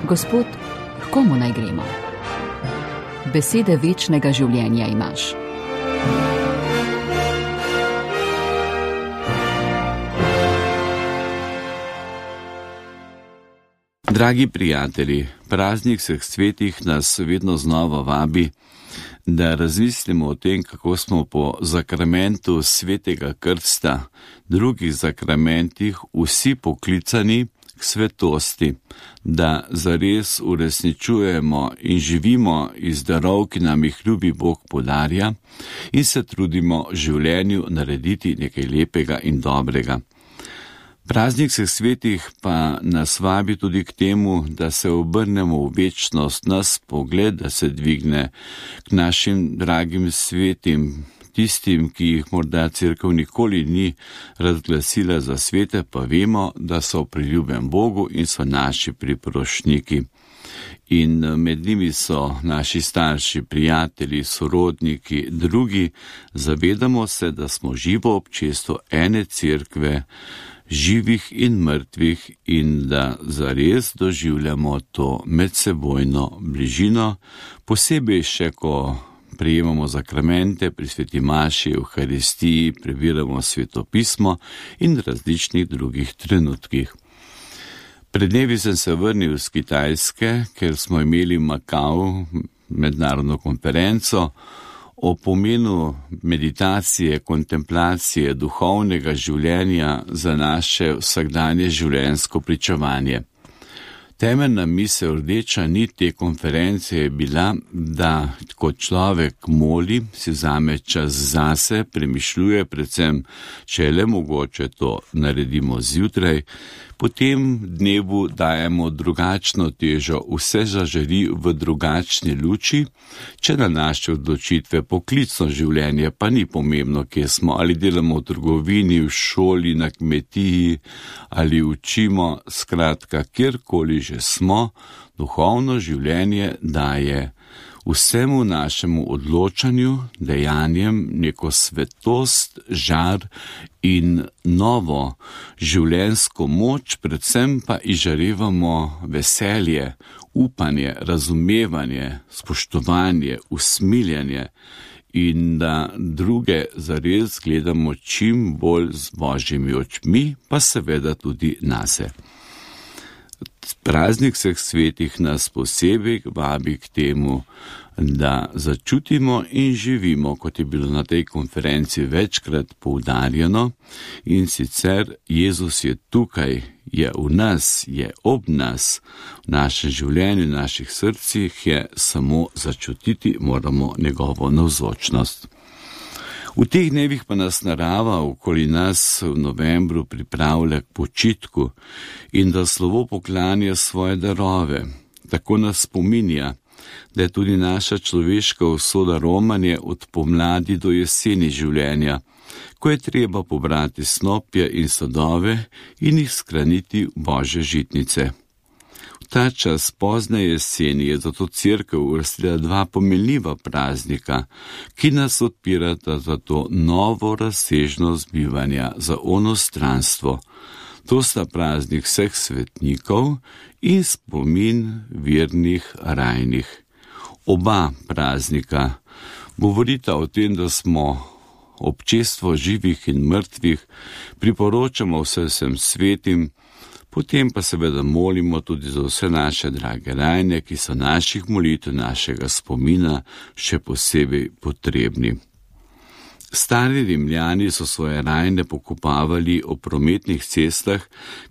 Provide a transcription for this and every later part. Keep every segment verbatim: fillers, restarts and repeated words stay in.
Gospod, k komu naj gremo? Besede večnega življenja imaš. Dragi prijatelji, praznik vseh svetih nas vedno znova vabi, da razmislimo o tem, kako smo po zakramentu svetega krsta, drugih zakramentih, vsi poklicani k svetosti, da zares uresničujemo in živimo iz darov, ki nam jih ljubi Bog podarja, in se trudimo v življenju narediti nekaj lepega in dobrega. Praznik vseh svetih pa nas vabi tudi k temu, da se obrnemo v večnost, nas pogled, da se dvigne k našim dragim svetim, tistim, ki jih morda cerkev nikoli ni razglasila za svete, pa vemo, da so priljubljen Bogu in so naši priprošniki. In med njimi so naši starši, prijatelji, sorodniki, drugi. Zavedamo se, da smo živo občestvo ene cerkve, živih in mrtvih, in da zares doživljamo to medsebojno bližino, posebej še, ko prejemamo zakramente pri sveti maši, Evharistiji, prebiramo svetopismo in različnih drugih trenutkih. Pred dnevi sem se vrnil z Kitajske, ker smo imeli v Makau mednarodno konferenco o pomenu meditacije, kontemplacije, duhovnega življenja za naše vsakdanje življenjsko pričevanje. Temeljna misel, rdeča nit te konference je bila, da ko človek moli, si vzame čas zase, premišljuje, predvsem, če je le mogoče, to naredimo zjutraj, potem dnevu dajemo drugačno težo, vse zažari v drugačni luči, če na naše odločitve poklicno življenje pa ni pomembno, kje smo, ali delamo v trgovini, v šoli, na kmetiji, ali učimo, skratka, kjerkoli že smo, duhovno življenje daje vsemu našemu odločanju, dejanjem neko svetost, žar in novo življenjsko moč, predvsem pa izžarevamo veselje, upanje, razumevanje, spoštovanje, usmiljanje in da druge zares gledamo čim bolj z Božjimi očmi, pa seveda tudi nase. Praznik vseh svetih nas posebej vabi k temu, da začutimo in živimo, kot je bilo na tej konferenci večkrat poudarjeno, in sicer Jezus je tukaj, je v nas, je ob nas, v našem življenju, v naših srcih, je samo začutiti moramo njegovo navzočnost. V teh dnevih pa nas narava okoli nas v novembru pripravlja k počitku in da slovo poklanja svoje darove. Tako nas spominja, da je tudi naša človeška usoda romanje od pomladi do jeseni življenja, ko je treba pobrati snopje in sadove in jih skraniti v Božje žitnice. Ta čas pozne jeseni je zato cerkev uvrstila dva pomenljiva praznika, ki nas odpirata za to novo razsežnost bivanja, za onostranstvo. To sta praznik vseh svetnikov in spomin vernih rajnih. Oba praznika govorita o tem, da smo občestvo živih in mrtvih, priporočamo vsem svetim, potem pa seveda molimo tudi za vse naše drage rajne, ki so naših molitev, našega spomina še posebej potrebni. Stari Rimljani so svoje rajne pokopavali ob prometnih cestah,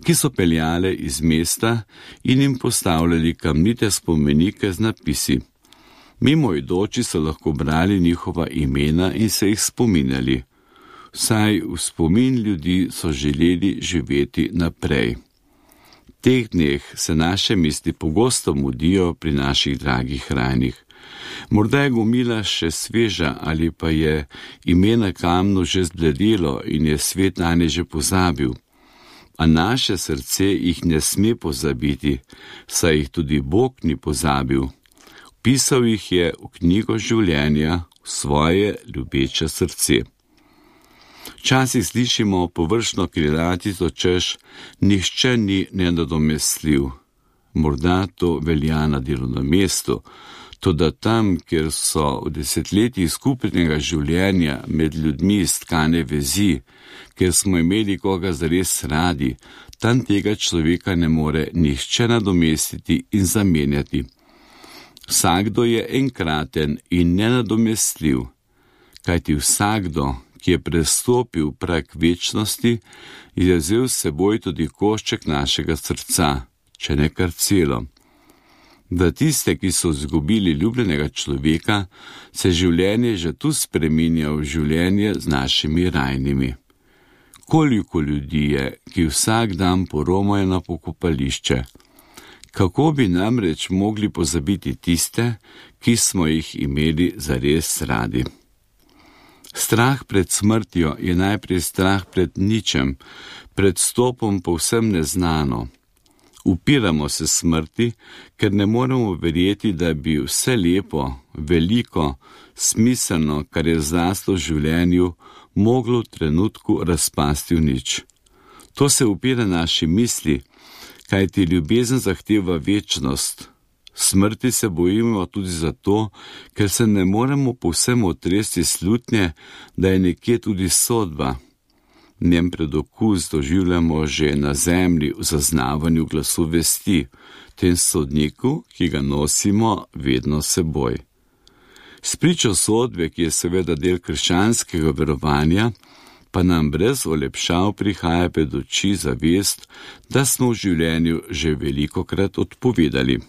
ki so peljale iz mesta, in jim postavljali kamnite spomenike z napisi. Mimoidoči so lahko brali njihova imena in se jih spominjali. Vsaj v spomin ljudi so želeli živeti naprej. V teh dneh se naše misli pogosto mudijo pri naših dragih rajnih. Morda je gomila še sveža ali pa je ime na kamnu že zbledelo in je svet nanje že pozabil. A naše srce jih ne sme pozabiti, saj jih tudi Bog ni pozabil. Pisal jih je v knjigo življenja, v svoje ljubeče srce. Včasih slišimo površno krilatico, češ, nihče ni nenadomestljiv. Morda to velja na delovnem mestu, toda tam, kjer so v desetletjih skupnega življenja med ljudmi stkane vezi, kjer smo imeli koga zares radi, tam tega človeka ne more nihče nadomestiti in zamenjati. Vsakdo je enkraten in nenadomestljiv, kajti vsakdo, ki je prestopil prag večnosti, je vzel s seboj tudi košček našega srca, če ne kar celo. Da tiste, ki so izgubili ljubljenega človeka, se življenje že tu spreminja v življenje z našimi rajnimi. Koliko ljudi je, ki vsak dan poromajo na pokopališče? Kako bi namreč mogli pozabiti tiste, ki smo jih imeli zares radi? Strah pred smrtjo je najprej strah pred ničem, pred stopom povsem neznano. Upiramo se smrti, ker ne moremo verjeti, da bi vse lepo, veliko, smiselno, kar je zraslo v življenju, moglo v trenutku razpasti v nič. To se upira naši misli, kajti ljubezen zahteva večnost. Smrti se bojimo tudi zato, ker se ne moremo povsem otresti slutnje, da je nekje tudi sodba. Njen predokus doživljamo že na zemlji v zaznavanju glasu vesti, tem sodniku, ki ga nosimo vedno seboj. Spričo sodbe, ki je seveda del krščanskega verovanja, pa nam brez olepšav prihaja pred oči zavest, da smo v življenju že velikokrat odpovedali.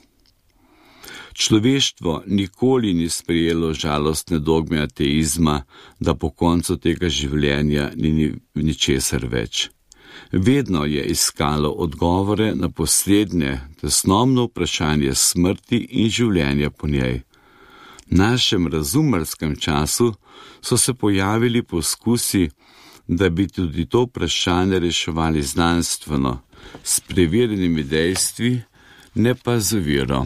Človeštvo nikoli ni sprejelo žalostne dogme ateizma, da po koncu tega življenja ni ničesar več. Vedno je iskalo odgovore na poslednje, tesnomno vprašanje smrti in življenja po njej. V našem razumerskem času so se pojavili poskusi, da bi tudi to vprašanje reševali znanstveno, s preverjenimi dejstvi, ne pa z vero.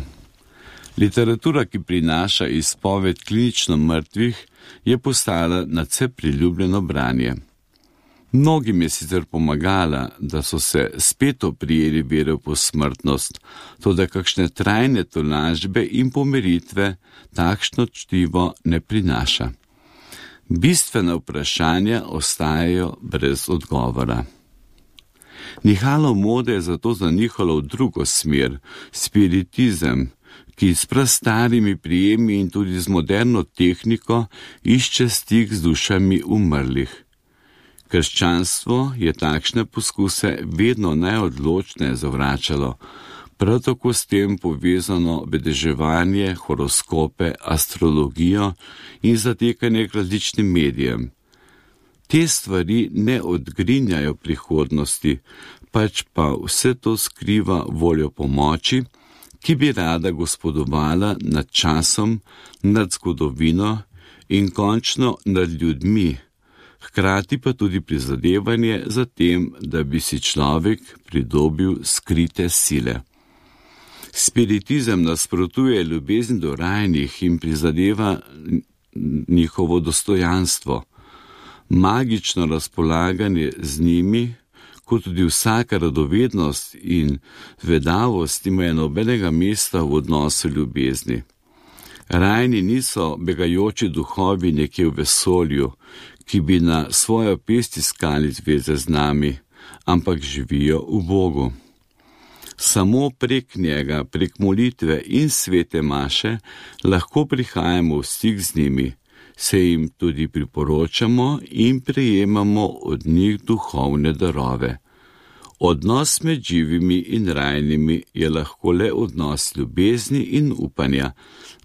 Literatura, ki prinaša izpoved klinično mrtvih, je postala nadvse priljubljeno branje. Mnogim je sicer pomagala, da so se spet oprijeli vere v posmrtnost, toda kakšne trajne tolažbe in pomiritve takšno čtivo ne prinaša. Bistvena vprašanja ostajajo brez odgovora. Nihalo mode je zato zanihalo v drugo smer, spiritizem, ki s prastarimi prijemi in tudi z moderno tehniko išče stik z dušami umrlih. Krščanstvo je takšne poskuse vedno najodločneje zavračalo, prav tako s tem povezano vedeževanje, horoskope, astrologijo in zatekanje k različnim medijem. Te stvari ne odgrinjajo prihodnosti, pač pa vse to skriva voljo pomoči, ki bi rada gospodovala nad časom, nad zgodovino in končno nad ljudmi, hkrati pa tudi prizadevanje za tem, da bi si človek pridobil skrite sile. Spiritizem nasprotuje ljubezni do rajnih in prizadeva njihovo dostojanstvo. Magično razpolaganje z njimi, kot tudi vsaka radovednost in vedavost imajo nobenega mesta v odnosu ljubezni. Rajni niso begajoči duhovi nekje v vesolju, ki bi na svojo pest iskali zveze z nami, ampak živijo v Bogu. Samo prek njega, prek molitve in svete maše, lahko prihajamo v stik z njimi, se jim tudi priporočamo in prejemamo od njih duhovne darove. Odnos med živimi in rajnimi je lahko le odnos ljubezni in upanja,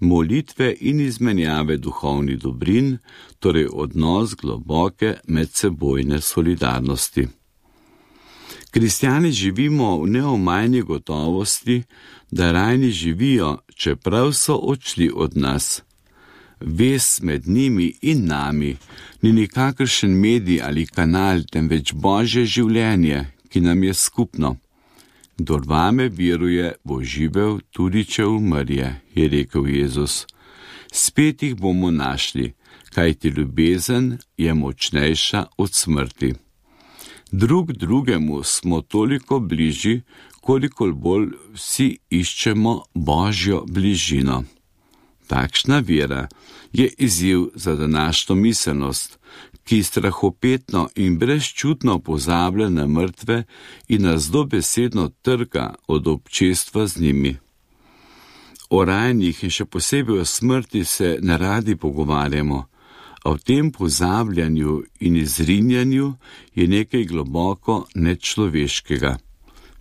molitve in izmenjave duhovnih dobrin, torej odnos globoke medsebojne solidarnosti. Kristjani živimo v neomajni gotovosti, da rajni živijo, čeprav so odšli od nas. Vez med njimi in nami ni nikakršen medij ali kanal, temveč Božje življenje, ki nam je skupno. Kdor vame veruje, bo živel, tudi če umrje, je rekel Jezus. Spet jih bomo našli, kajti ljubezen je močnejša od smrti. Drug drugemu smo toliko bližji, kolikor bolj vsi iščemo Božjo bližino. Takšna vera je izziv za današnjo miselnost, ki strahopetno in brezčutno pozablja na mrtve in nas dobesedno trga od občestva z njimi. O rajnih in še posebej o smrti se neradi pogovarjamo, a v tem pozabljanju in izrinjanju je nekaj globoko nečloveškega.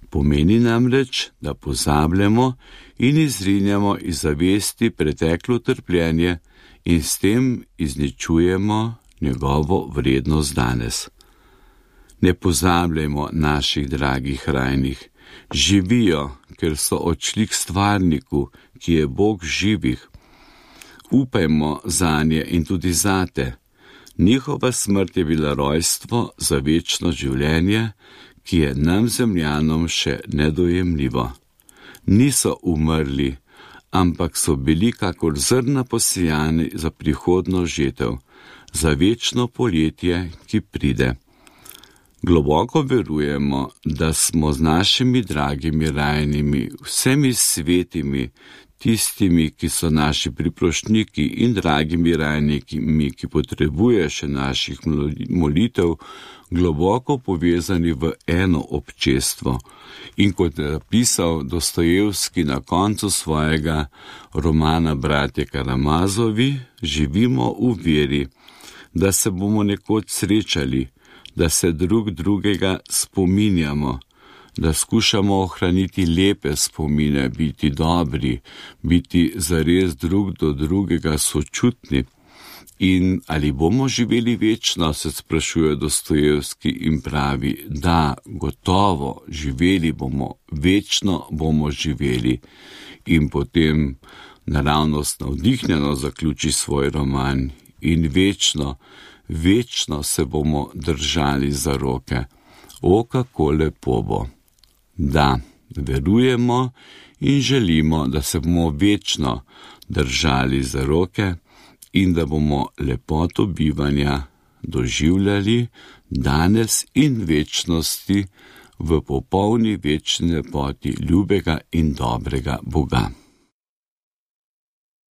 Pomeni namreč, da pozabljamo in izrinjamo iz zavesti preteklo trpljenje in s tem izničujemo njegovo vrednost danes. Ne pozabljajmo naših dragih rajnih. Živijo, ker so odšli k stvarniku, ki je Bog živih. Upajmo zanje in tudi zate. Njihova smrt je bila rojstvo za večno življenje, ki je nam zemljanom še nedojemljivo. Niso umrli, ampak so bili kakor zrna posejani za prihodno žetev, za večno poletje, ki pride. Globoko verujemo, da smo z našimi dragimi rajnimi, vsemi svetimi, tistimi, ki so naši priprošniki in dragimi rajniki, ki potrebuje še naših molitev, globoko povezani v eno občestvo. In kot je napisal Dostojevski na koncu svojega romana Bratje Karamazovi, živimo v veri, da se bomo nekoč srečali, da se drug drugega spominjamo, da skušamo ohraniti lepe spomine, biti dobri, biti zares drug do drugega sočutni. In ali bomo živeli večno, se sprašuje Dostojevski in pravi, da, gotovo, živeli bomo, večno bomo živeli. In potem naravnost navdihnjeno zaključi svoj roman in večno, večno se bomo držali za roke. O, kako lepo bo. Da, verujemo in želimo, da se bomo večno držali za roke in da bomo lepoto bivanja doživljali danes in večnosti v popolni večni lepoti ljubega in dobrega Boga.